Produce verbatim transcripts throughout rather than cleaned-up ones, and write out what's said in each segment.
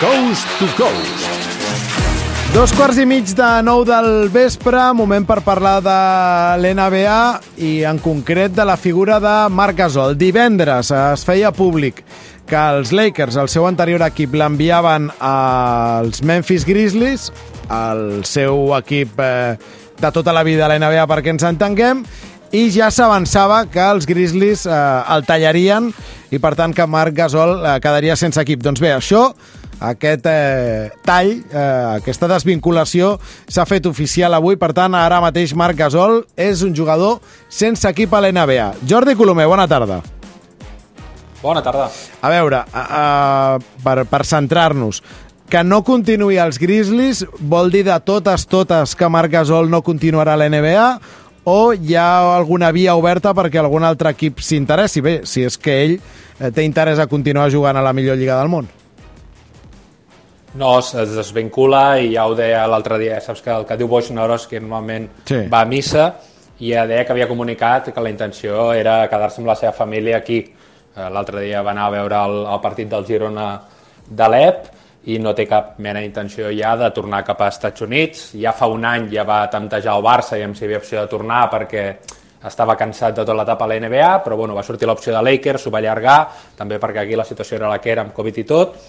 Coast to Coast. Dos quarts i mig de nou del vespre, moment per parlar de l'N B A i en concret de la figura de Marc Gasol. Divendres es feia públic que els Lakers, el seu anterior equip, l'enviaven als Memphis Grizzlies, el seu equip eh, de tota la vida a l'N B A perquè ens entenguem, i ja s'avançava que els Grizzlies eh, el tallarien i per tant que Marc Gasol eh, quedaria sense equip. Doncs bé, això... Aquest eh, tall, eh, aquesta desvinculació s'ha fet oficial avui, per tant, ara mateix Marc Gasol és un jugador sense equip a l'N B A. Jordi Colomer, bona tarda. Bona tarda. A veure, a, a, per, per centrar-nos, que no continuï als Grizzlies vol dir de totes, totes que Marc Gasol no continuarà a l'N B A o hi ha alguna via oberta perquè algun altre equip s'interessi? Bé, si és que ell eh, té interès a continuar jugant a la millor lliga del món. No, es desvincula i ja ho deia l'altre dia, saps que el que diu Wojnarowski normalment sí. va a missa i ja deia que havia comunicat que la intenció era quedar-se amb la seva família aquí. L'altre dia va anar a veure el, el partit del Girona de l'E P i no té cap mena d'intenció ja de tornar cap als Estats Units. Ja fa un any ja va temptejar el Barça i amb si havia opció de tornar perquè estava cansat de tota l'etapa a la N B A, però bueno, va sortir l'opció de Lakers, s'ho va allargar, també perquè aquí la situació era la que era amb Covid i tot,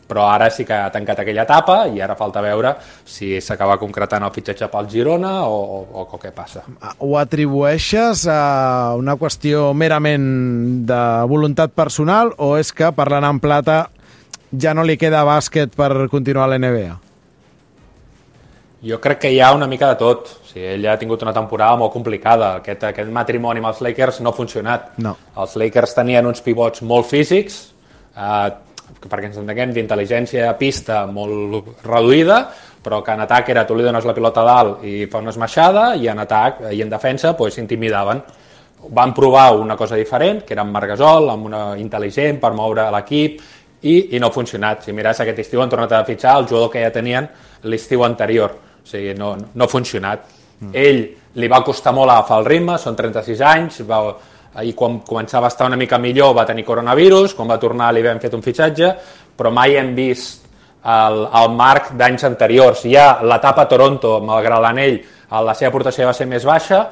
però ara sí que ha tancat aquella etapa i ara falta veure si s'acaba concretant el fitxatge pel Girona o, o, o què passa. Ho atribueixes a una qüestió merament de voluntat personal o és que, parlant en plata, ja no li queda bàsquet per continuar a l'N B A? Jo crec que hi ha una mica de tot. O sigui, ell ha tingut una temporada molt complicada. Aquest, aquest matrimoni amb els Lakers no ha funcionat. No. Els Lakers tenien uns pivots molt físics, eh, perquè ens entenguem, d'intel·ligència a pista molt reduïda, però que en atac era tu li dones la pilota a dalt i fa una esmaixada, i en atac i en defensa pues, s'intimidaven. Van provar una cosa diferent, que era amb Marc Gasol, amb una intel·ligent per moure l'equip, i, i no ha funcionat. Si mires aquest estiu han tornat a fitxar el jugador que ja tenien l'estiu anterior. O sigui, no, no ha funcionat. Mm. Ell li va costar molt agafar el ritme, són trenta-sis anys, va... i quan començava a estar una mica millor va tenir coronavirus, quan va tornar li vam fet un fitxatge, però mai hem vist el, el Marc d'anys anteriors. Ja l'etapa a Toronto, malgrat l'anell, la seva aportació va ser més baixa,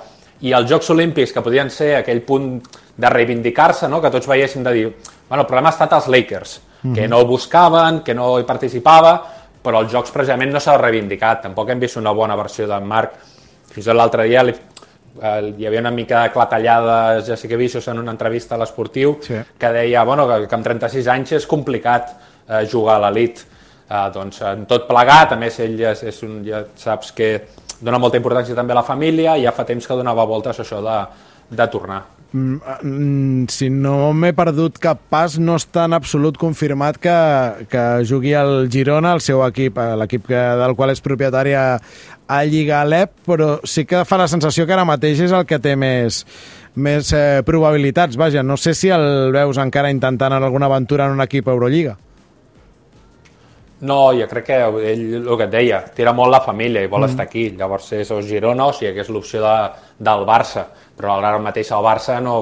i els Jocs Olímpics, que podien ser aquell punt de reivindicar-se, no? Que tots veiéssim de dir, bueno, el problema ha estat els Lakers, mm-hmm. que no el buscaven, que no hi participava, però els Jocs precisament no s'ha reivindicat. Tampoc hem vist una bona versió del Marc. Fins i tot l'altre dia li hi havia una mica de clatellada Jessica Vicious en una entrevista a l'Esportiu sí. que deia bueno, que, que amb trenta-sis anys és complicat eh, jugar a l'elit. Eh, doncs en tot plegat, a més ell és, és un, ja saps que dona molta importància també a la família i ja fa temps que donava voltes a això de, de tornar. Mm, si no m'he perdut cap pas, no està en absolut confirmat que, que jugui al Girona, el seu equip, l'equip del qual és propietari a, a Lliga Alep, però sí que fa la sensació que ara mateix és el que té més, més eh, probabilitats. Vaja, no sé si el veus encara intentant en alguna aventura en un equip Eurolliga. No, jo crec que ell, el que et deia, tira molt la família i vol mm. estar aquí. Llavors és o Girona o sigui que és l'opció de, del Barça. Però ara mateix el Barça no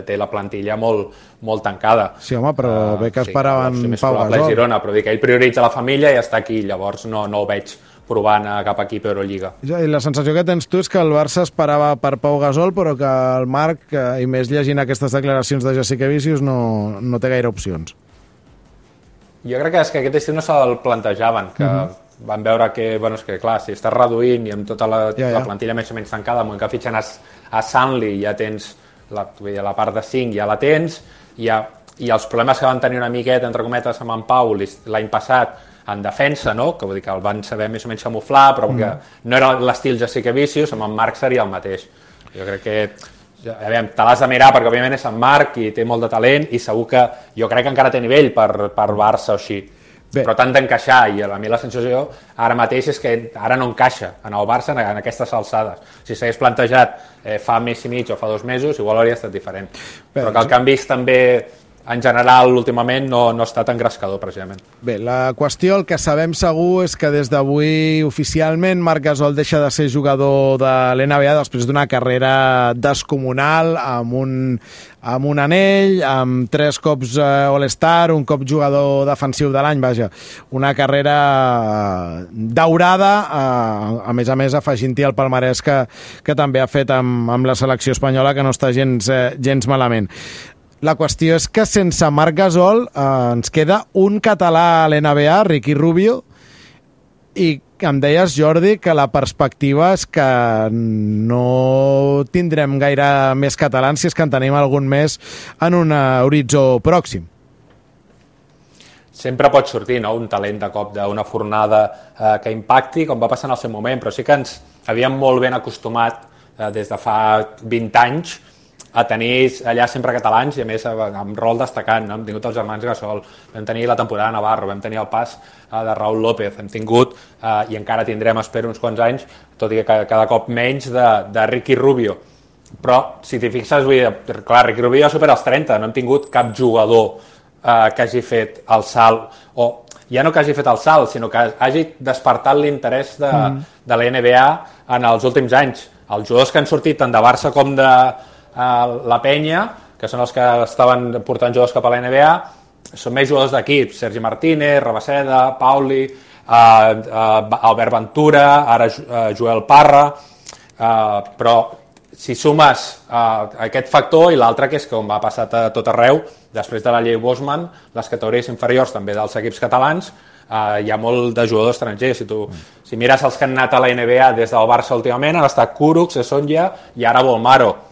té la plantilla molt, molt tancada. Sí, home, però uh, bé que esperaven sí, Pau Gasol. Girona, però dic que ell prioritza la família i està aquí, llavors no, no ho veig provant a cap equip Eurolliga. Ja, i la sensació que tens tu és que el Barça esperava per Pau Gasol, però que el Marc, i més llegint aquestes declaracions de Jessica Vicious, no, no té gaire opcions. Jo crec que és que aquest estiu no se'l plantejaven, que uh-huh. van veure que, bueno, és que clar, si estàs reduint i amb tota la, ja, ja. la plantilla més o menys tancada, amb que fitxen a, a Sunley ja tens la, la part de cinc, ja la tens, i, ja, i els problemes que van tenir una miqueta, entre cometes, amb en Pau l'any passat en defensa, no? Que vull dir que el van saber més o menys camuflar, però mm. que no era l'estil Jessica Vicious, amb en Marc seria el mateix. Jo crec que a veure, te l'has de mirar perquè òbviament és en Marc i té molt de talent i segur que jo crec que encara té nivell per, per Barça o així. Bé. Però tant d'encaixar, i a mi la sensació ara mateix és que ara no encaixa en el Barça en, en aquestes alçades. Si s'hagués plantejat eh, fa mes i mig o fa dos mesos, igual hauria estat diferent. Bé, però que el que han vist també en general, últimament, no, no ha estat engrescador, precisament. Bé, la qüestió, el que sabem segur és que des d'avui, oficialment, Marc Gasol deixa de ser jugador de l'N B A després d'una carrera descomunal, amb un, amb un anell, amb tres cops eh, All-Star, un cop jugador defensiu de l'any, vaja, una carrera daurada, eh, a més a més afegint-hi el palmarès que, que també ha fet amb, amb la selecció espanyola, que no està gens, eh, gens malament. La qüestió és que sense Marc Gasol eh, ens queda un català a l'N B A, Ricky Rubio, i em deies, Jordi, que la perspectiva és que no tindrem gaire més catalans, si és que en tenim algun més en un horitzó pròxim. Sempre pot sortir, no?, un talent de cop d'una fornada eh, que impacti, com va passar en el seu moment, però sí que ens havíem molt ben acostumat eh, des de fa vint anys a tenir allà sempre catalans i a més amb rol destacant, no? Hem tingut els germans Gasol, vam tenir la temporada de Navarro, vam tenir el pas eh, de Raúl López, hem tingut eh, i encara tindrem, espero, uns quants anys, tot i que cada, cada cop menys, de, de Ricky Rubio. Però, si t'hi fixes, vull dir, clar, Ricky Rubio ja supera els trenta, no hem tingut cap jugador eh, que hagi fet el salt, o ja no que hagi fet el salt, sinó que hagi despertat l'interès de, mm. de la N B A en els últims anys. Els jugadors que han sortit tant de Barça com de la Penya, que són els que estaven portant jugadors cap a la N B A, són més jugadors d'equip, Sergi Martínez, Rabaseda, Pauli, eh, eh, Albert Ventura, ara eh, Joel Parra, eh, però si sumes eh, aquest factor i l'altre, que és com ha passat a tot arreu, després de la llei Bosman, les categories inferiors també dels equips catalans, eh, hi ha molt de jugadors estrangers. Si, tu, si mires els que han anat a la N B A des del Barça últimament, han estat Kurucs, Sonja i ara Bolmaro.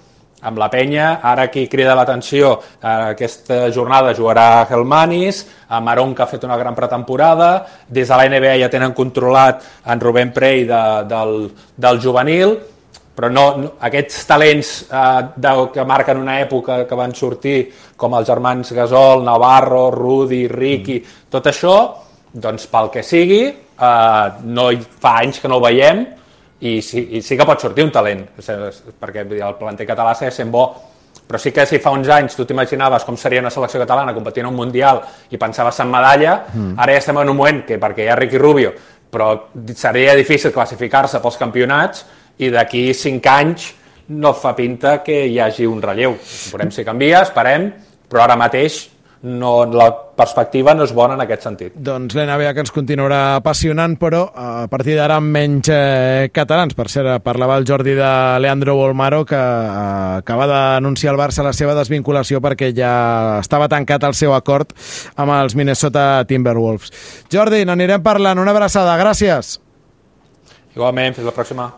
Amb la Penya, ara qui crida l'atenció, eh, aquesta jornada jugarà Helmanis, a Maron, que ha fet una gran pretemporada, des de la N B A ja tenen controlat en Rubén Prey de, del, del juvenil, però no, no, aquests talents eh, de, que marquen una època que van sortir, com els germans Gasol, Navarro, Rudy, Ricky, mm. tot això, doncs pel que sigui, eh, no fa anys que no ho veiem, i sí, i sí que pot sortir un talent, perquè el planter català segueix sent bo, però sí que si fa uns anys tu t'imaginaves com seria una selecció catalana competint en un Mundial i pensaves en medalla, mm. ara ja estem en un moment que perquè hi ha Ricky Rubio, però seria difícil classificar-se pels campionats i d'aquí cinc anys no fa pinta que hi hagi un relleu. Veurem si canvia, esperem, però ara mateix no, la perspectiva no és bona en aquest sentit. Doncs l'N B A que ens continuarà apassionant, però a partir d'ara amb menys eh, catalans. Per cert, parlava el Jordi de Leandro Bolmaro, que eh, acaba d'anunciar al Barça la seva desvinculació perquè ja estava tancat el seu acord amb els Minnesota Timberwolves. Jordi, n'anirem parlant. Una abraçada. Gràcies. Igualment, fins la pròxima.